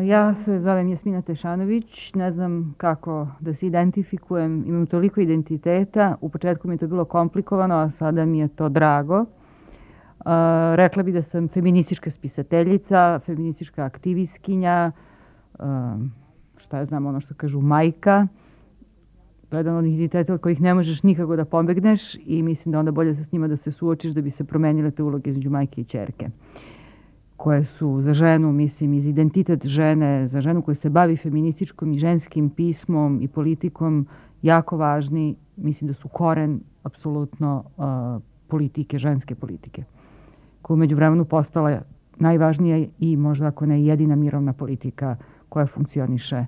Ja se zovem Jasmina Tešanović, ne znam kako da se identifikujem, imam toliko identiteta, u početku mi je to bilo komplikovano, a sada mi je to drago. Rekla bi da sam feministička spisateljica, feministička aktivistkinja, šta ja znam, ono što kažu majka. To je jedan od identiteta od kojih ne možeš nikako da pobegneš i mislim da onda bolje sa s njima da se suočiš da bi se promenile te uloge između majke i ćerke, koje su za ženu, mislim, iz identitet žene, za ženu koja se bavi feminističkom i ženskim pismom i politikom jako važni. Mislim da su koren apsolutno politike, ženske politike, koja umeđu vremenu postala najvažnija i možda ako ne jedina mirovna politika koja funkcioniše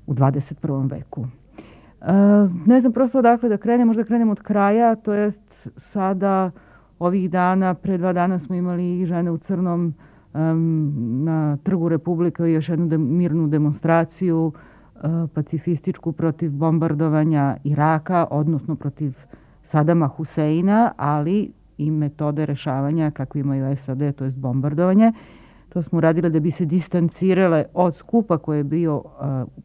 u 21. veku. Ne znam prosto odakle da krenem, možda krenem od kraja, to jest sada ovih dana, pre 2 dana smo imali žene u crnom na Trgu Republike i još jednu mirnu demonstraciju pacifističku protiv bombardovanja Iraka, odnosno protiv Sadama Huseina, ali i metode rešavanja kakve imaju SAD, to je bombardovanje. To smo uradile da bi se distancirale od skupa koji je bio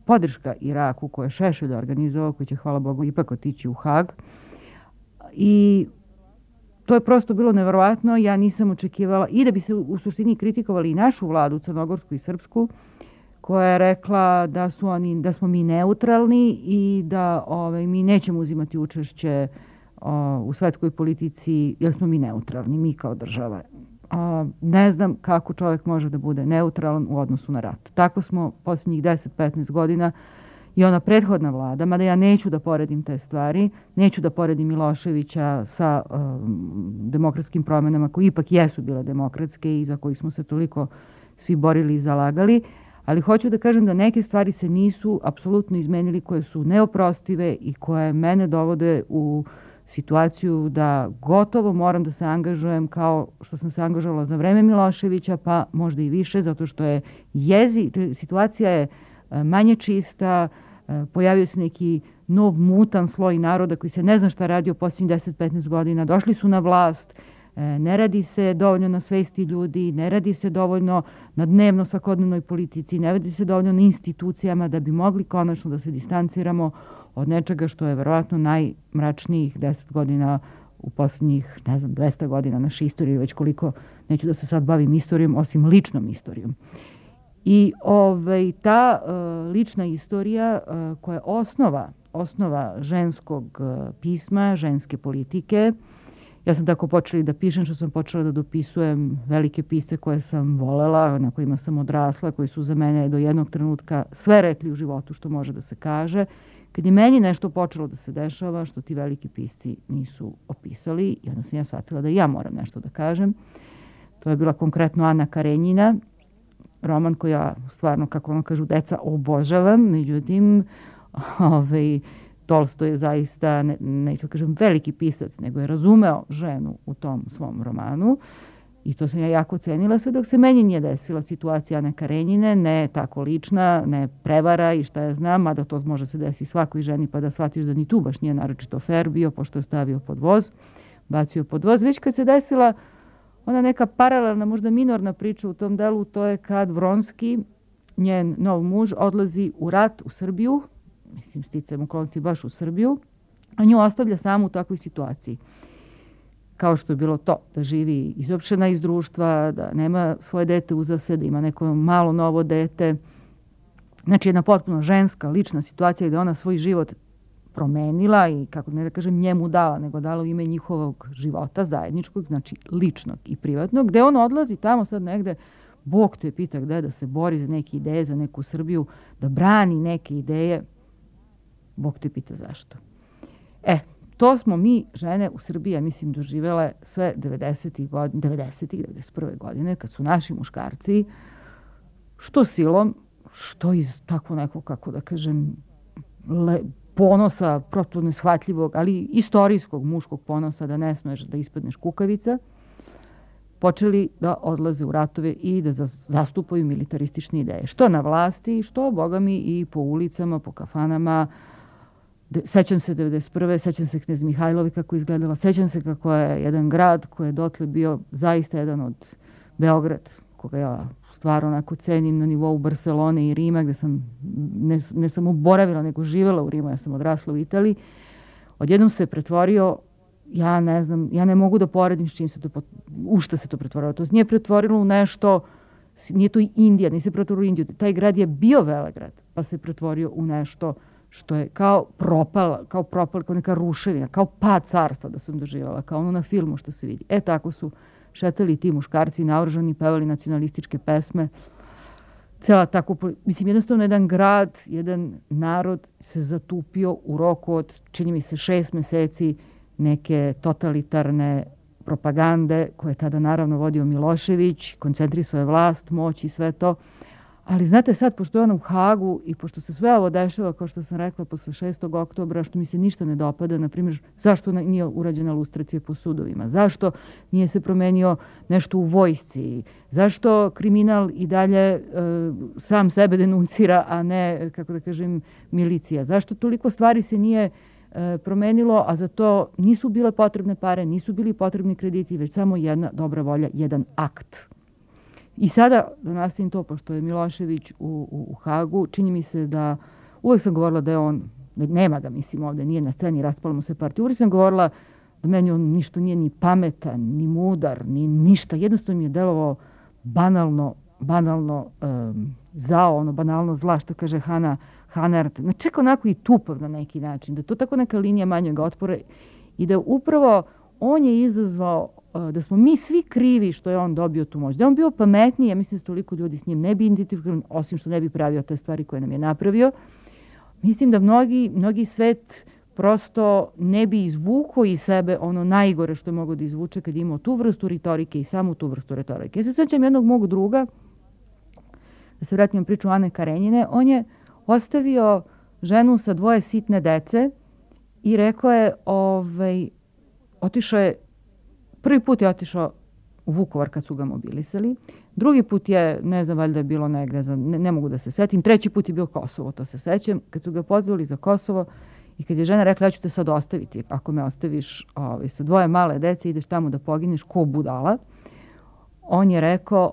podrška Iraku, koje je Šešelj organizovao, koji će, hvala Bogu, ipak otići u Hag. I to je prosto bilo neverovatno. Ja nisam očekivala, i da bi se u suštini kritikovali i našu vladu, crnogorsku i srpsku, koja je rekla da smo mi neutralni i da mi nećemo uzimati učešće u svetskoj politici jer smo mi neutralni, mi kao država. Ne znam kako čovjek može da bude neutralan u odnosu na rat. Tako smo posljednjih 10-15 godina i ona prethodna vlada, mada ja neću da poredim te stvari, neću da poredim Miloševića sa demokratskim promenama koje ipak jesu bile demokratske i za kojih smo se toliko svi borili i zalagali, ali hoću da kažem da neke stvari se nisu apsolutno izmenili, koje su neoprostive i koje mene dovode u situaciju da gotovo moram da se angažujem kao što sam se angažovala za vreme Miloševića, pa možda i više, zato što je situacija je manje čista, pojavio se neki nov mutan sloj naroda koji se ne zna šta radi u posljednjih 10-15 godina, došli su na vlast, ne radi se dovoljno na svesti ljudi, ne radi se dovoljno na dnevno svakodnevnoj politici, ne radi se dovoljno na institucijama da bi mogli konačno da se distanciramo od nečega što je verovatno najmračnijih 10 godina u posljednjih, 200 godina naše istorije, već koliko, neću da se sad bavim istorijom, osim ličnom istorijom. I ta lična istorija koja je osnova ženskog pisma, ženske politike. Ja sam tako počela da pišem, što sam počela da dopisujem velike pisce koje sam volela, na kojima sam odrasla, koji su za mene do jednog trenutka sve rekli u životu što može da se kaže. Kad je meni nešto počelo da se dešava, što ti veliki pisci nisu opisali, i onda sam ja shvatila da ja moram nešto da kažem. To je bila konkretno Ana Karenjina, roman koji ja stvarno, kako ono kažu deca, obožavam. Međutim, Tolstoj je zaista, neću kažem veliki pisac, nego je razumeo ženu u tom svom romanu. I to sam ja jako cenila, sve dok se meni nije desila situacija Ane Karenjine, ne tako lična, ne prevara i šta ja znam, mada to može se desiti svakoj ženi pa da shvatiš da ni tu baš nije naročito fair bio, pošto je stavio pod voz, bacio pod voz. Već kad se desila ona neka paralelna, možda minorna priča u tom delu, to je kad Vronski, njen nov muž, odlazi u rat u Srbiju, mislim sticajem okolnosti baš u Srbiju, a nju ostavlja samu u takvoj situaciji. Kao što je bilo to, da živi izopštena iz društva, da nema svoje dete uza se, da ima neko malo novo dete. Znači jedna potpuno ženska, lična situacija gde ona svoj život promenila i, kako ne da kažem, njemu dala, nego dala u ime njihovog života zajedničkog, znači ličnog i privatnog, gde on odlazi tamo sad negde, Bog te pita gde, da se bori za neke ideje, za neku Srbiju, da brani neke ideje, Bog te pita zašto. To smo mi, žene u Srbiji, ja mislim, doživele sve 91. godine, kad su naši muškarci, što silom, što iz tako nekog, kako da kažem, ponosa, prosto neshvatljivog, ali istorijskog muškog ponosa da ne smeš da ispadneš kukavica, počeli da odlaze u ratove i da zastupaju militaristične ideje. Što na vlasti, što, boga mi, i po ulicama, po kafanama. Sećam se 91. Sećam se Knez Mihajlovi kako izgledala. Sećam se kako je jedan grad koji je dotle bio zaista jedan od Beograd, koga ja stvar onako cenim na nivou Barcelone i Rima, gde sam ne samo boravila, nego živela u Rimu, ja sam odrasla u Italiji, odjednom se pretvorio, ja ne znam, ja ne mogu da poredim s čim se to, u šta se to pretvorilo. To se nije pretvorilo u nešto, nije to i Indija, nije se pretvorilo u Indiju. Taj grad je bio velegrad, pa se pretvorio u nešto što je kao propala, kao neka ruševina, kao pad carstva da sam doživala, kao ono na filmu što se vidi. Tako su šetali ti muškarci naoružani, pevali nacionalističke pesme. Cela tako, mislim, jednostavno jedan grad, jedan narod se zatupio u roku od, čini mi se, 6 meseci neke totalitarne propagande koje je tada naravno vodio Milošević, koncentrisao je vlast, moć i sve to. Ali znate sad, pošto je ona u Hagu i pošto se sve ovo dešava, kao što sam rekla, posle 6. oktobra, što mi se ništa ne dopada, na primjer, zašto nije urađena lustracija po sudovima, zašto nije se promenio nešto u vojsci, zašto kriminal i dalje sam sebe denuncira, a ne, kako da kažem, milicija, zašto toliko stvari se nije promenilo, a za to nisu bile potrebne pare, nisu bili potrebni krediti, već samo jedna dobra volja, jedan akt. I sada, da nastavim to, pošto je Milošević u Hagu, čini mi se da, uvek sam govorila da je on, nema ga mislim ovde, nije na sceni, raspala mu se partija, uvek sam govorila da meni on ništa nije ni pametan, ni mudar, ni ništa, jednostavno mi je delovao banalno zao, ono banalno zla, što kaže Hannah Arendt, čak onako i tupav na neki način, da je to tako neka linija manjeg otpora i da upravo on je izazvao da smo mi svi krivi što je on dobio tu moć. Da je on bio pametniji, ja mislim da toliko ljudi s njim ne bi identifikovali, osim što ne bi pravio te stvari koje nam je napravio. Mislim da mnogi svet prosto ne bi izvukao iz sebe ono najgore što je mogao da izvuče kad je imao tu vrstu retorike i samo tu vrstu retorike. Ja se sećam jednog mog druga, da se vratim priču Ane Karenjine, on je ostavio ženu sa 2 sitne dece i rekao je, otišao je, prvi put je otišao u Vukovar kad su ga mobilisali, drugi put je, ne znam, valjda je bilo negde, ne mogu da se setim, treći put je bio Kosovo, to se sećam, kad su ga pozvali za Kosovo i kad je žena rekla, ja ću te sad ostaviti, ako me ostaviš sa 2 male dece, ideš tamo da pogineš ko budala, on je rekao,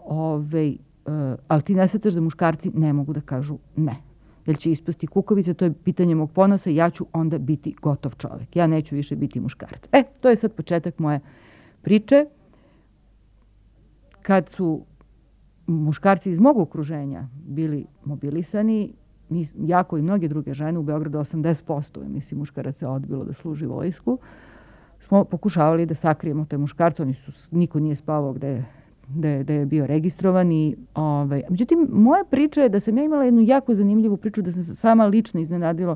ali ti ne shvataš da muškarci ne mogu da kažu ne. Jer će ispasti kukavice, to je pitanje mog ponosa, ja ću onda biti gotov čovek. Ja neću više biti muškarac. To je sad početak moje priče. Kad su muškarci iz mog okruženja bili mobilisani, jako i mnoge druge žene, u Beogradu 80%, mislim, muškaraca odbilo da služi vojsku, smo pokušavali da sakrijemo te muškarce, niko nije spavao gde je bio registrovan. Međutim, moja priča je da sam ja imala jednu jako zanimljivu priču, da sam se sama lično iznenadila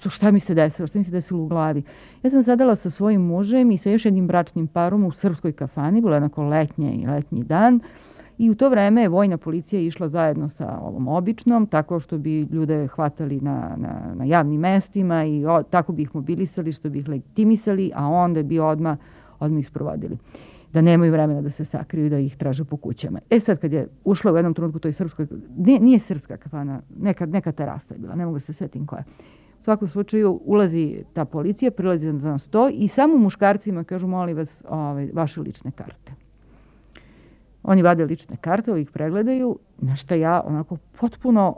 šta mi se desilo u glavi. Ja sam sedela sa svojim mužem i sa još jednim bračnim parom u srpskoj kafani, bilo je onako letnji dan, i u to vreme je vojna policija išla zajedno sa ovom običnom, tako što bi ljude hvatali na javnim mestima i tako bi ih mobilisali, što bi ih legitimisali, a onda bi odmah ih sprovodili. Da nemaju vremena da se sakriju i da ih traže po kućama. Sad kad je ušla u jednom trenutku toj srpskoj, nije srpska kafana, neka terasa je bila, ne mogu da se setim koja. U svakom slučaju ulazi ta policija, prilazi na sto i samo muškarcima kažu, molim vas, vaše lične karte. Oni vade lične karte, ih pregledaju, na što ja onako potpuno,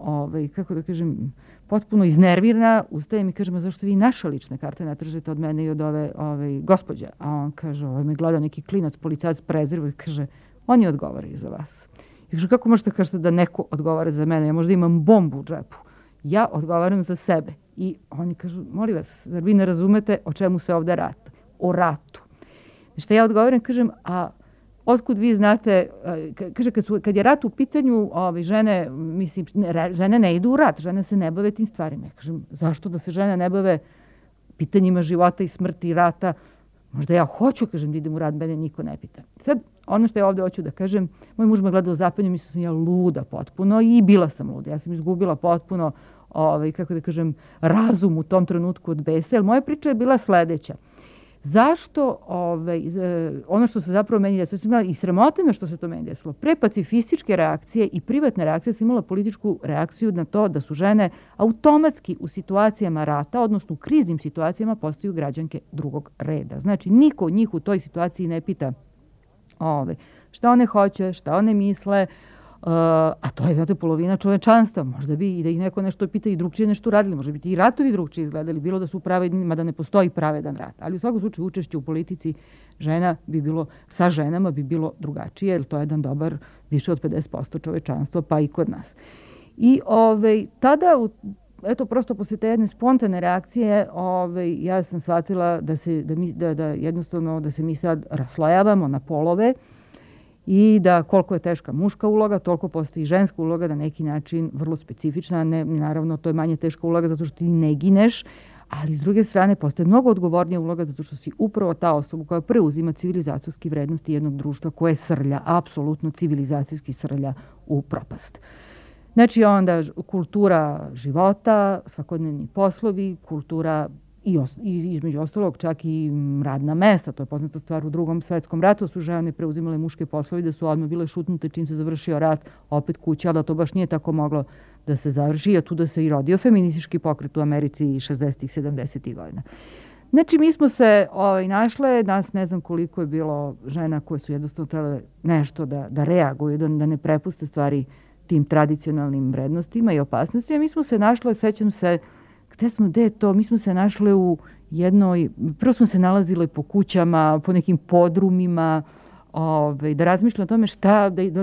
potpuno iznervirana, ustajem i kažem, zašto vi naše lične karte ne tražite od mene i od ove gospođe? A on kaže, me gleda neki klinac, policajac prezirva i kaže, oni odgovaraju za vas. I kaže, kako možete kažete da neko odgovara za mene? Ja možda imam bombu u džepu. Ja odgovaram za sebe. I oni kažu, molim vas, zar vi ne razumete o čemu se ovde radi? O ratu. Što ja odgovaram, kažem, a otkud vi znate, kaže, kad je rat u pitanju, žene ne idu u rat, žene se ne bave tim stvarima. Ja kažem, zašto da se žene ne bave pitanjima života i smrti i rata? Možda ja hoću, kažem, da idem u rat, mene niko ne pita. Sad, ono što ja ovde hoću da kažem, moj muž me gleda u zapanju, mislila sam ja luda potpuno i bila sam luda. Ja sam izgubila potpuno, razum u tom trenutku od besa, jer moja priča je bila sledeća. Zašto, ono što se zapravo meni desilo, sam imala i sramota me što se to meni desilo, pre pacifističke reakcije i privatne reakcije sam imala političku reakciju na to da su žene automatski u situacijama rata, odnosno u kriznim situacijama, postaju građanke drugog reda. Znači, niko od njih u toj situaciji ne pita šta one hoće, šta one misle, a to je, znate, polovina čovečanstva. Možda bi i da ih neko nešto pita i drugčije nešto radili, možda bi i ratovi drugčije izgledali, bilo da su pravedni, mada ne postoji pravedan rat. Ali u svakom slučaju učešće u politici žena bi bilo, sa ženama bi bilo drugačije, jer to je jedan dobar, više od 50% čovečanstva, pa i kod nas. I tada, eto, prosto posle te jedne spontane reakcije, ja sam shvatila da jednostavno da se mi sad raslojavamo na polove i da koliko je teška muška uloga, toliko postoji ženska uloga, na neki način vrlo specifična. Naravno, to je manje teška uloga zato što ti ne gineš, ali s druge strane postoje mnogo odgovornija uloga zato što si upravo ta osoba koja preuzima civilizacijske vrednosti jednog društva koje srlja, apsolutno civilizacijski srlja u propast. Znači onda kultura života, svakodnevni poslovi, kultura i između ostalog čak i radna mesta, to je poznata stvar u Drugom svetskom ratu, su žene preuzimale muške poslove, da su odmah bile šutnute čim se završio rat, opet kuća, ali da to baš nije tako moglo da se završi, a tu da se i rodio feministički pokret u Americi 60-ih, 70-ih godina. Znači, mi smo se našle, nas ne znam koliko je bilo žena koje su jednostavno trebale nešto da reaguju, da ne prepuste stvari tim tradicionalnim vrednostima i opasnostima. Mi smo se našle, sećam se, gde je to? Mi smo se našle u jednoj, prvo smo se nalazile po kućama, po nekim podrumima, da razmišljamo o tome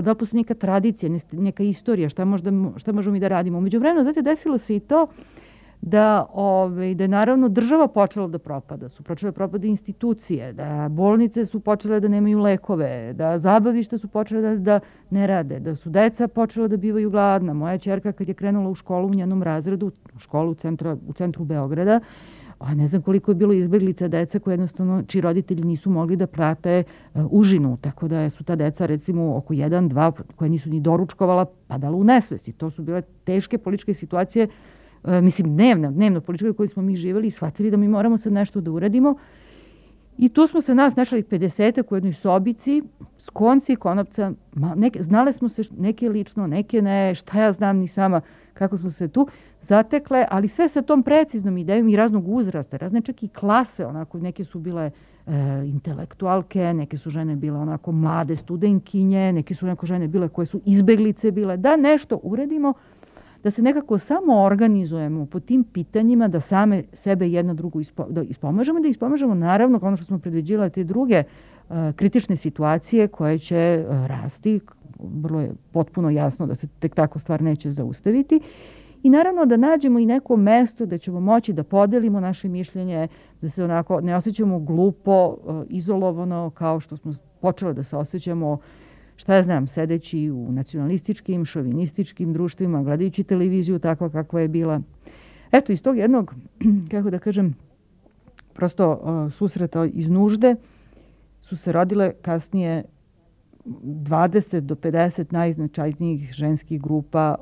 da postoji neka tradicija, neka istorija, šta možemo mi da radimo. Umeđu vremenu, znate, desilo se i to da je naravno država počela da propada, su počele propada institucije, da bolnice su počele da nemaju lekove, da zabavišta su počele da ne rade, da su deca počela da bivaju gladna. Moja ćerka kad je krenula u školu u njenom razredu, u školu u centru Beograda, a ne znam koliko je bilo izbeglica deca koje jednostavno, čiji roditelji nisu mogli da prate užinu, tako da su ta deca recimo oko 1-2 koje nisu ni doručkovala padala u nesvesti. To su bile teške političke situacije, mislim dnevno političke u kojoj smo mi živjeli i shvatili da mi moramo sad nešto da uradimo. I tu smo se nas našli 50-ak u jednoj sobici, s konci i konopca, znale smo se neke lično, neke ne, šta ja znam ni sama kako smo se tu zatekle, ali sve sa tom preciznom idejom i raznog uzrasta, razne čak i klase, onako, neke su bile intelektualke, neke su žene bile onako mlade studenkinje, neke su žene bile koje su izbeglice bile, da nešto uredimo, da se nekako samo organizujemo po tim pitanjima, da same sebe jedna drugu ispomažemo, naravno, ono što smo predviđile te druge kritične situacije koje će rasti, vrlo je potpuno jasno da se tek tako stvar neće zaustaviti. I naravno da nađemo i neko mesto da ćemo moći da podelimo naše mišljenje, da se onako ne osjećamo glupo, izolovano, kao što smo počeli da se osjećamo, šta ja znam, sedeći u nacionalističkim, šovinističkim društvima, gledajući televiziju takva kakva je bila. Eto, iz tog jednog, kako da kažem, prosto susreta iz nužde su se rodile kasnije 20 do 50 najznačajnijih ženskih grupa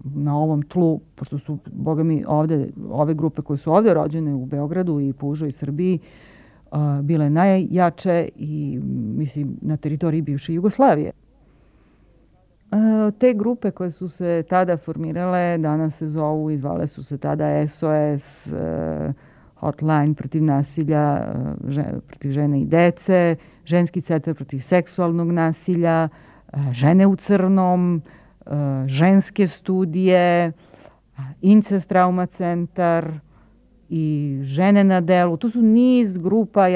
na ovom tlu, pošto su, boga mi, ove grupe koje su ovde rođene u Beogradu i po užoj Srbiji, bile najjače i, mislim, na teritoriji bivše Jugoslavije. Te grupe koje su se tada formirale, danas se zovu i zvale su se tada SOS, Hotline protiv nasilja protiv žene i dece, Ženski centar protiv seksualnog nasilja, Žene u crnom, Ženske studije, Incest trauma centar i Žene na delu. To su niz grupa,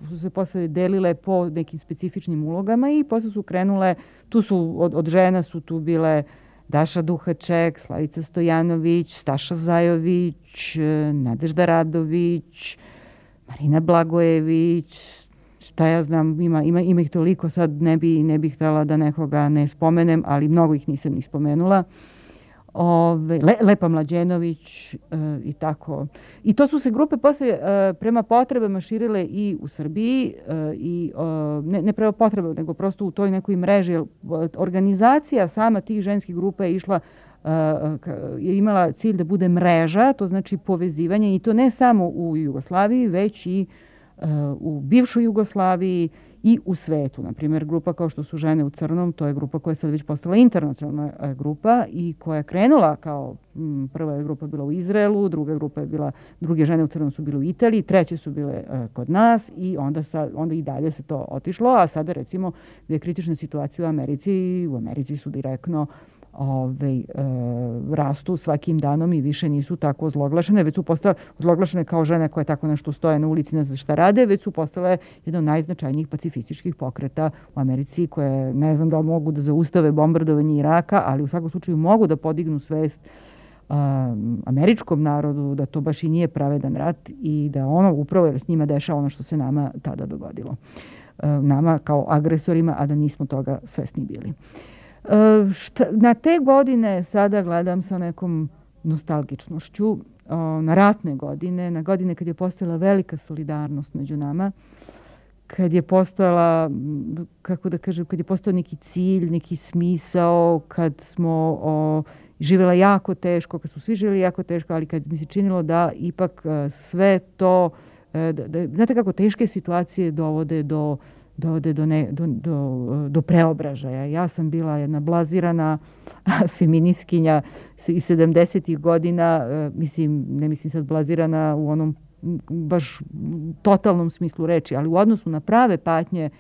su se posle delile po nekim specifičnim ulogama i posle su krenule, tu su od žena su tu bile Daša Duhaček, Slavica Stojanović, Staša Zajović, Nadežda Radović, Marina Blagojević, šta ja znam, ima ih toliko, sad ne bih htjela da nekoga ne spomenem, ali mnogo ih nisam ni spomenula. Lepa Mlađenović i tako. I to su se grupe posle prema potrebama širile i u Srbiji, i ne prema potrebama, nego prosto u toj nekoj mreži. Organizacija sama tih ženskih grupa je išla, je imala cilj da bude mreža, to znači povezivanje, i to ne samo u Jugoslaviji, već i u bivšoj Jugoslaviji i u svetu. Na primjer, grupa kao što su Žene u crnom, to je grupa koja je sad već postala internacionalna grupa i koja je krenula kao prva je grupa bila u Izraelu, druge Žene u crnom su bile u Italiji, treće su bile kod nas i onda i dalje se to otišlo, a sada recimo gdje je kritična situacija u Americi su direktno rastu svakim danom i više nisu tako ozloglašene, već su postale ozloglašene kao žene koje tako nešto stoje na ulici, ne znam šta rade, već su postale jedno od najznačajnijih pacifističkih pokreta u Americi koje ne znam da li mogu da zaustave bombardovanje Iraka, ali u svakom slučaju mogu da podignu svest američkom narodu da to baš i nije pravedan rat i da ono upravo jer s njima dešava ono što se nama tada dogodilo. Nama kao agresorima, a da nismo toga svesni bili. Na te godine sada gledam sa nekom nostalgičnošću, na ratne godine, na godine kad je postojala velika solidarnost među nama, kad je postojala, kako da kažem, kad je postojao neki cilj, neki smisao, kad smo živjela jako teško, kad su svi živjeli jako teško, ali kad mi se činilo da ipak sve to, znate kako teške situacije dovode do preobražaja. Ja sam bila jedna blazirana feministkinja iz 70-ih godina, ne mislim sad blazirana u onom baš totalnom smislu reči, ali u odnosu na prave patnje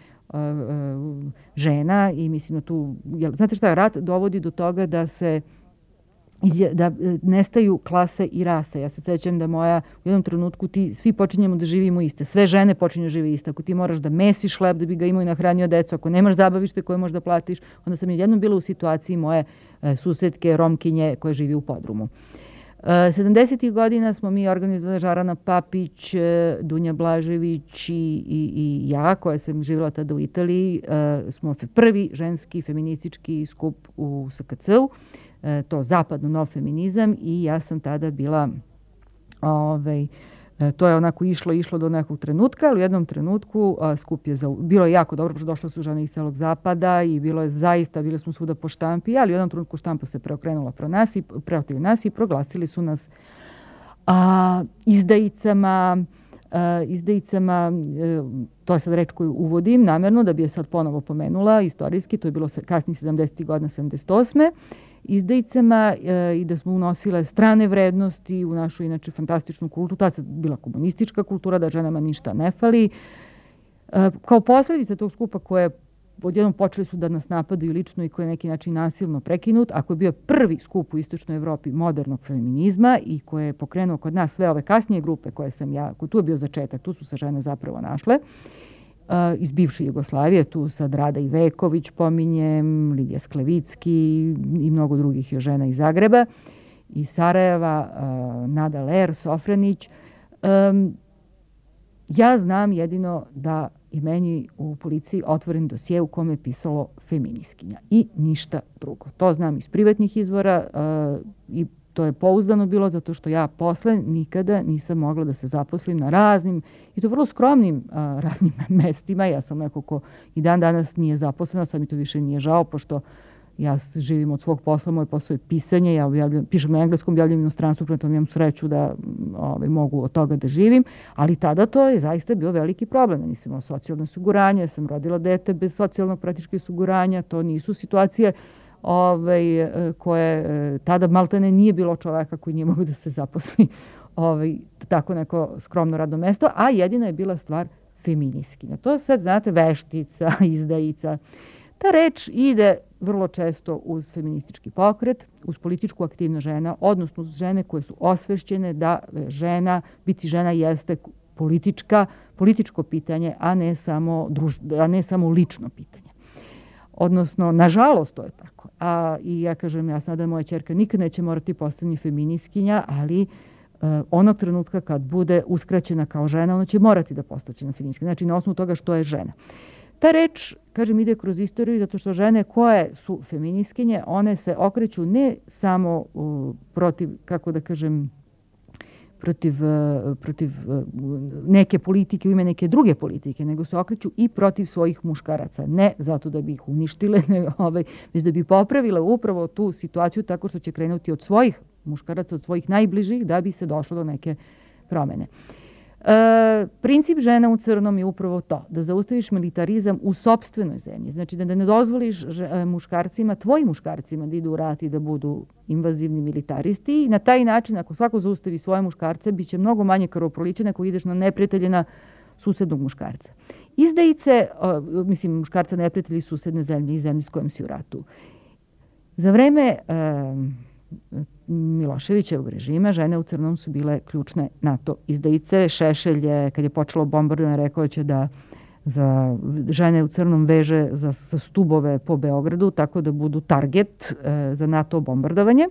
žena i mislim da tu, znate šta, rat dovodi do toga da nestaju klase i rase. Ja se sećam da u jednom trenutku svi počinjemo da živimo iste. Sve žene počinju da žive iste. Ako ti moraš da mesiš hleb da bi ga imao i nahranio decu, ako nemaš zabavište koje možeš da platiš, onda sam jednom bila u situaciji moje susedke, Romkinje koje živi u podrumu. 70. godina smo mi organizovali Žarana Papić, Dunja Blažević i ja, koja sam živjela tada u Italiji, smo prvi ženski feministički skup u SKC-u, to zapadno nov feminizam i ja sam tada bila, to je onako išlo do nekog trenutka, ali u jednom trenutku skup je bilo je jako dobro, pošto došle su žene iz celog zapada i bili smo svuda po štampi, ali u jednom trenutku štampa se preokrenula protiv nas i proglasili su nas izdajicama, to je sad reč koju uvodim namjerno da bi je sad ponovo pomenula istorijski, to je bilo kasnije 70. godina, 78. izdajicama i da smo unosile strane vrednosti u našu inače fantastičnu kulturu. Tada je bila komunistička kultura, da ženama ništa ne fali. Kao posljedica tog skupa koje odjednom počeli su da nas napadaju lično i koji je neki način nasilno prekinut, ako je bio prvi skup u Istočnoj Evropi modernog feminizma i koje je pokrenuo kod nas sve ove kasnije grupe koje sam ja, tu je bio začetak, tu su se žene zapravo našle, iz bivše Jugoslavije, tu sad Rada Iveković pominjem, Lidija Sklevicki i mnogo drugih još žena iz Zagreba, iz Sarajeva, Nada Ler, Sofranić. Ja znam jedino da je meni u policiji otvoren dosje u kome je pisalo feministkinja i ništa drugo. To znam iz privatnih izvora i to je pouzdano bilo zato što ja posle nikada nisam mogla da se zaposlim na raznim i to vrlo skromnim radnim mestima. Ja sam neko ko i dan danas nije zaposlena, sad mi to više nije žao, pošto ja živim od svog posla, moj posao je pisanje, ja pišem na engleskom, objavljam inostranstvu, prema tome imam sreću da mogu od toga da živim, ali tada to je zaista bio veliki problem. Ja nisam imala socijalno osiguranje, ja sam rodila dete bez socijalnog praktički osiguranja, to nisu situacije koje tada maltene nije bilo čoveka koji nije mogu da se zaposli tako neko skromno radno mesto, a jedina je bila stvar feminiskinja. To sad, znate, veštica, izdajica. Ta reč ide vrlo često uz feministički pokret, uz političku aktivnost žena, odnosno uz žene koje su osvešćene da biti žena jeste političko pitanje, a ne samo lično pitanje. Odnosno, nažalost, to je tako. I ja kažem, ja sada moja ćerka nikad neće morati postati feministkinja, ali onog trenutka kad bude uskraćena kao žena, ona će morati da postane feministkinja. Znači, na osnovu toga što je žena. Ta reč, kažem, ide kroz istoriju zato što žene koje su feministkinje, one se okreću ne samo protiv, kako da kažem, protiv neke politike u ime neke druge politike, nego se okreću i protiv svojih muškaraca. Ne zato da bi ih uništile, već da bi popravile upravo tu situaciju tako što će krenuti od svojih muškaraca, od svojih najbližih, da bi se došlo do neke promene. Princip žena u crnom je upravo to, da zaustaviš militarizam u sopstvenoj zemlji. Znači da ne dozvoliš muškarcima, tvojim muškarcima da idu u rat i da budu invazivni militaristi. I na taj način, ako svako zaustavi svoje muškarce, bit će mnogo manje krvoproličene ako ideš na neprijateljena susednog muškarca. Izdajice, muškarca neprijatelji susedne zemlje i zemlje s kojom si u ratu. Za vreme Miloševićevog režima žene u crnom su bile ključne NATO izdajice. Šešelj je, kad je počelo bombardovanje, rekao će da za žene u crnom veže za stubove po Beogradu, tako da budu target za NATO bombardovanje.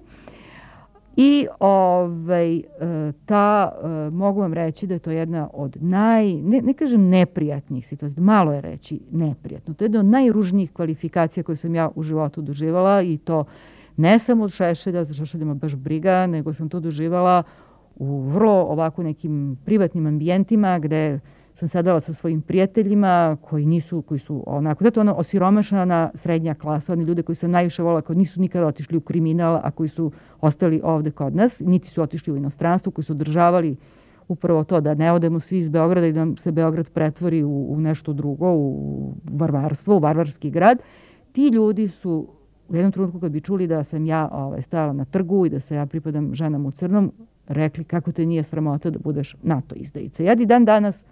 I mogu vam reći da je to jedna od ne kažem neprijatnih situacija, malo je reći neprijatno. To je jedna od najružnijih kvalifikacija koje sam ja u životu doživala i to ne samo od Šešelja, za Šešelja me baš briga, nego sam to doživala u vrlo ovako nekim privatnim ambijentima gde sam sedala sa svojim prijateljima koji su onako, zato ono osiromašana srednja klasa, oni ljude koji sam najviše volila, koji nisu nikada otišli u kriminal, a koji su ostali ovde kod nas, niti su otišli u inostranstvo, koji su održavali upravo to da ne odemo svi iz Beograda i da se Beograd pretvori u nešto drugo, u varvarstvo, u varvarski grad. Ti ljudi su u jednom trenutku kad bi čuli da sam ja stajala na trgu i da se ja pripadam ženama u crnom, rekli kako te nije sramota da budeš NATO izdajica. Ja i dan danas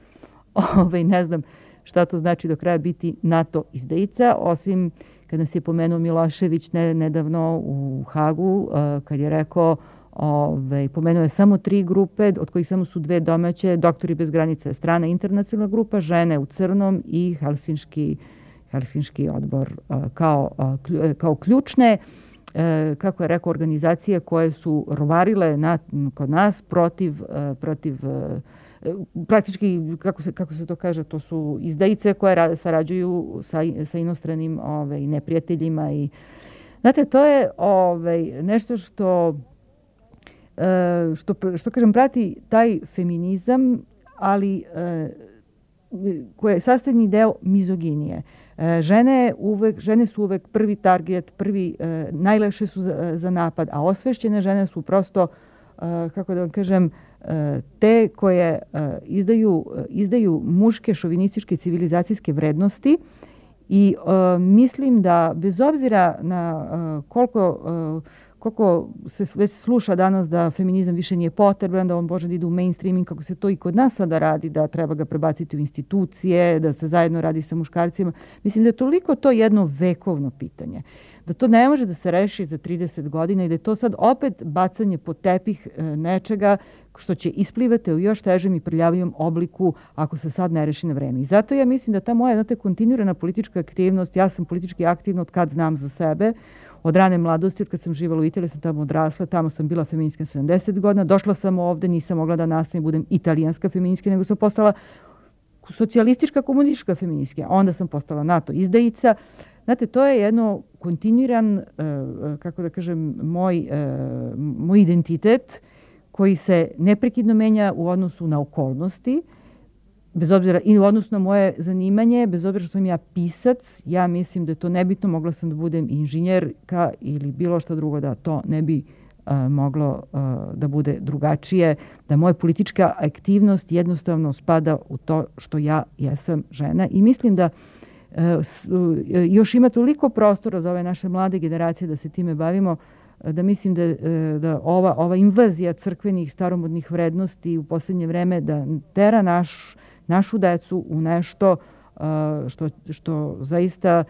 ne znam šta to znači do kraja biti NATO izdajica, osim kad nas je pomenuo Milošević nedavno u Hagu, kad je rekao, pomenuo je samo 3 grupe, od kojih samo su 2 domaće, Doktori bez granica, strana internacionalna grupa, žene u crnom i Helsinški odbor kao ključne, kako je rekao, organizacije koje su rovarile kod nas protiv praktički, kako se to kaže, to su izdajice koje sarađuju sa inostranim neprijateljima. I znate, to je nešto što kažem, prati taj feminizam, ali koje je sastavni deo mizoginije. Žene su uvek prvi target, najlakše su za napad, a osvešćene žene su prosto, kako da vam kažem, te koje izdaju muške šovinističke civilizacijske vrednosti i mislim da bez obzira na koliko se već sluša danas da feminizam više nije potreban, da on može da ide u mainstreaming, kako se to i kod nas sada radi, da treba ga prebaciti u institucije, da se zajedno radi sa muškarcima. Mislim da je toliko to jedno vekovno pitanje, da to ne može da se reši za 30 godina i da je to sad opet bacanje pod tepih nečega što će isplivati u još težem i prljavijem obliku ako se sad ne reši na vreme. I zato ja mislim da ta moja kontinuirana politička aktivnost, ja sam politički aktivna od kad znam za sebe, od rane mladosti, od kad sam živala u Italiji, sam tamo odrasla, tamo sam bila feministka 70 godina, došla sam ovde, nisam mogla da nastavim, budem italijanska feministka, nego sam postala socijalistička, komunistička feministka, onda sam postala NATO izdajica. Znate, to je jedno kontinuiran, kako da kažem, moj identitet koji se neprekidno menja u odnosu na okolnosti, bez obzira i u odnosu na moje zanimanje, bez obzira što sam ja pisac, ja mislim da je to nebitno, mogla sam da budem inženjerka ili bilo što drugo, da to ne bi moglo da bude drugačije, da moja politička aktivnost jednostavno spada u to što ja jesam žena i mislim da još ima toliko prostora za ove naše mlade generacije da se time bavimo, da mislim da ova invazija crkvenih staromodnih vrednosti u posljednje vreme da tera našu decu u nešto što zaista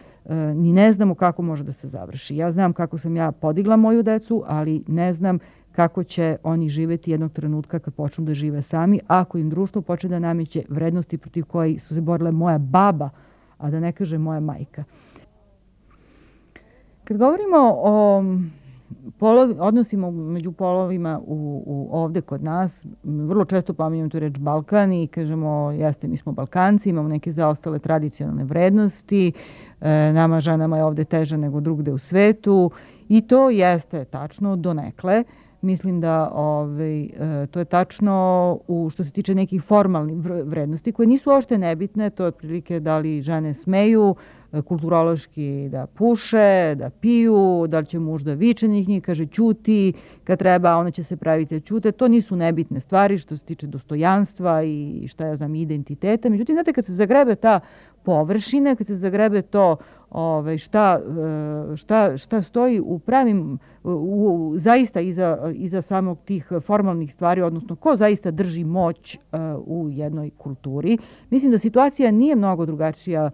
ni ne znamo kako može da se završi. Ja znam kako sam ja podigla moju decu, ali ne znam kako će oni živeti jednog trenutka kad počnu da žive sami, ako im društvo počne da nameće vrednosti protiv kojih su se borile moja baba, a da ne kaže moja majka. Kad govorimo o odnosima među polovima ovde kod nas, vrlo često pominjamo tu reč Balkan i kažemo, jeste, mi smo Balkanci, imamo neke zaostale tradicionalne vrednosti, nama ženama je ovde teže nego drugde u svetu I to jeste tačno donekle. Mislim da to je tačno što se tiče nekih formalnih vrednosti koje nisu uopšte nebitne. To je otprilike da li žene smeju kulturološki da puše, da piju, da li će muž da viče njih, kaže ćuti, kad treba ona će se praviti da ćute. To nisu nebitne stvari što se tiče dostojanstva i šta ja znam, identiteta. Međutim, znate, kad se zagrebe ta površine, kad se zagrebe to šta stoji u pravim, zaista iza samog tih formalnih stvari, odnosno ko zaista drži moć u jednoj kulturi. Mislim da situacija nije mnogo drugačija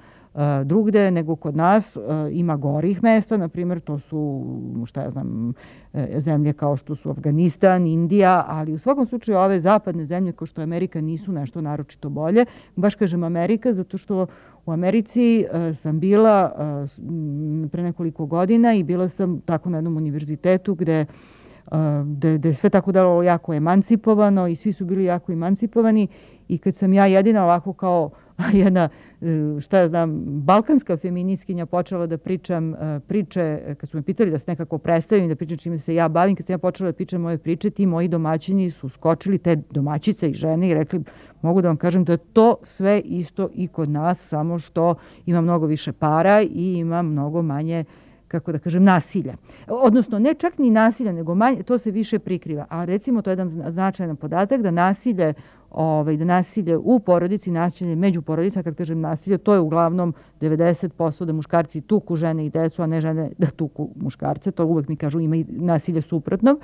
drugde nego kod nas. Ima gorih mesta, na primjer to su, šta ja znam, zemlje kao što su Afganistan, Indija, ali u svakom slučaju ove zapadne zemlje kao što je Amerika nisu nešto naročito bolje. Baš kažem Amerika zato što u Americi sam bila pre nekoliko godina i bila sam tako na jednom univerzitetu gde je sve tako dalo jako emancipovano i svi su bili jako emancipovani i kad sam ja jedina ovako kao jedna, šta ja znam, balkanska feministkinja počela da pričam priče, kad su me pitali da se nekako predstavim, da pričam čime se ja bavim, kad sam ja počela da pričam moje priče, ti moji domaćini su skočili, te domaćice i žene, i rekli, mogu da vam kažem da je to sve isto i kod nas, samo što ima mnogo više para i ima mnogo manje, kako da kažem, nasilja. Odnosno, ne čak ni nasilja, nego manje, to se više prikriva. A recimo, to je jedan značajan podatak da nasilje u porodici, nasilje među porodicama, kad kažem nasilje, to je uglavnom 90% da muškarci tuku žene i decu, a ne žene da tuku muškarce. To uvek mi kažu, ima i nasilje suprotnog.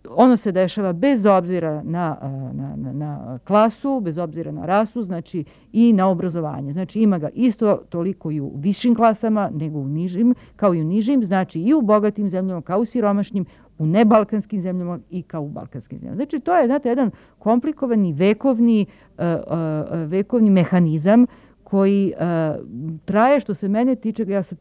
Ono se dešava bez obzira na klasu, bez obzira na rasu, znači i na obrazovanje. Znači ima ga isto toliko i u višim klasama, nego u nižim, kao i u nižim, znači i u bogatim zemljama, kao u siromašnim, u nebalkanskim zemljama i kao u balkanskim zemljama. Znači to je, znate, jedan komplikovani vekovni mehanizam koji traje, što se mene tiče, ja sam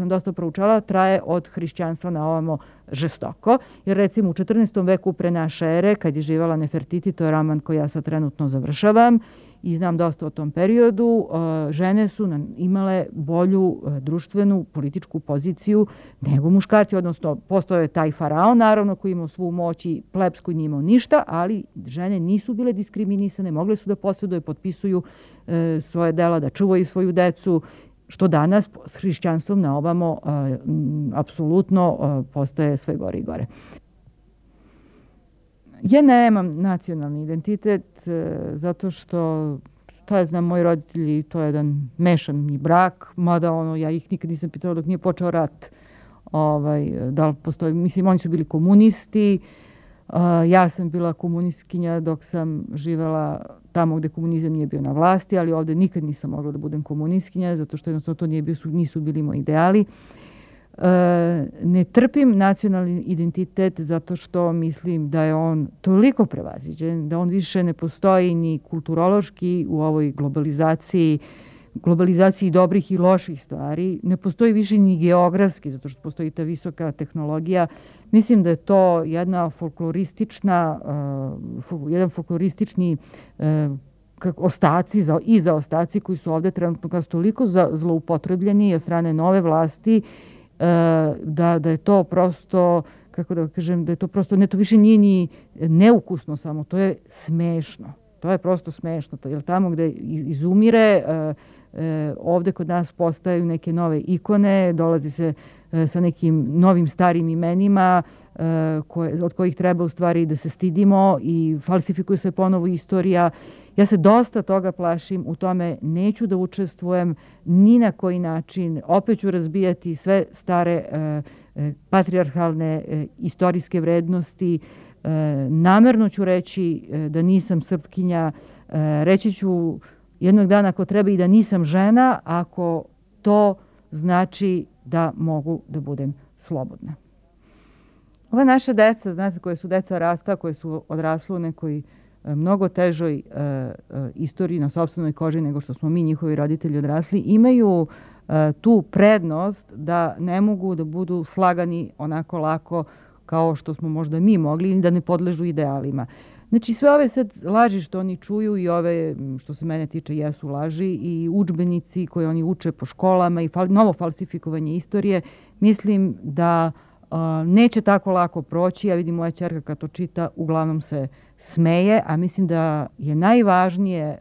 dosta proučala, traje od hrišćanstva na ovamo žestoko. Jer recimo u 14. veku pre naše ere, kad je živjela Nefertiti, to je roman koji ja sad trenutno završavam i znam dosta o tom periodu, žene su imale bolju društvenu, političku poziciju nego muškarci, odnosno postoje taj faraon, naravno, koji imao svu moć i plebs koji nije imao ništa, ali žene nisu bile diskriminisane, mogle su da posjeduju, potpisuju svoje dela, da čuvaju svoju decu, što danas s hrišćanstvom na ovamo apsolutno postaje sve gore i gore. Ja nemam nacionalni identitet zato što, ja znam, moji roditelji, to je jedan mešani brak, mada ja ih nikad nisam pitala dok nije počeo rat, da li postoji, mislim, oni su bili komunisti, ja sam bila komunistkinja dok sam živela tamo gde komunizam nije bio na vlasti, ali ovde nikad nisam mogla da budem komunistkinja, zato što jednostavno to nisu bili moji ideali. Ne trpim nacionalni identitet zato što mislim da je on toliko prevaziđen, da on više ne postoji ni kulturološki u ovoj globalizaciji dobrih i loših stvari, ne postoji više ni geografski, zato što postoji ta visoka tehnologija. Mislim da je to jedan folkloristični ostaci koji su ovde trenutno kao toliko zloupotrebljeni od strane nove vlasti, da je to prosto, kako da kažem, da je to prosto, ne, to više nije ni neukusno samo, to je smešno. To je prosto smešno, jer tamo gde izumire, ovde kod nas postaju neke nove ikone, dolazi se sa nekim novim starim imenima od kojih treba u stvari da se stidimo i falsifikuje se ponovo istorija. Ja se dosta toga plašim, u tome neću da učestvujem ni na koji način. Opet ću razbijati sve stare patrijarhalne istorijske vrednosti. Namerno ću reći da nisam Srpkinja. Reći ću jednog dana ako treba i da nisam žena, ako to znači da mogu da budem slobodna. Ova naša deca, znate, koje su deca rata, koje su odrasle u nekoj mnogo težoj istoriji na sopstvenoj koži nego što smo mi, njihovi roditelji, odrasli, imaju tu prednost da ne mogu da budu slagani onako lako kao što smo možda mi mogli ili da ne podležu idealima. Znači, sve ove sad laži što oni čuju i ove, što se mene tiče, jesu laži i udžbenici koje oni uče po školama i novo falsifikovanje istorije, mislim da Neće tako lako proći. Ja vidim moja ćerka kad to čita, uglavnom se smeje, a mislim da je najvažnije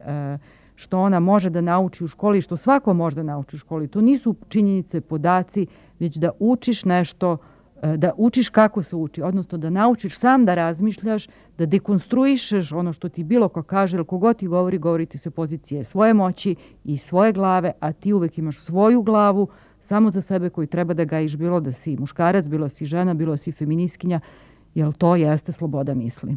što ona može da nauči u školi, što svako može da nauči u školi. To nisu činjenice, podaci, već da učiš nešto, da učiš kako se uči, odnosno da naučiš sam da razmišljaš, da dekonstruišeš ono što ti bilo ko kaže, jer kogod ti govori ti se pozicije svoje moći i svoje glave, a ti uvek imaš svoju glavu samo za sebe koju treba da gajiš, bilo da si muškarac, bilo da si žena, bilo da si feministkinja, jer to jeste sloboda misli.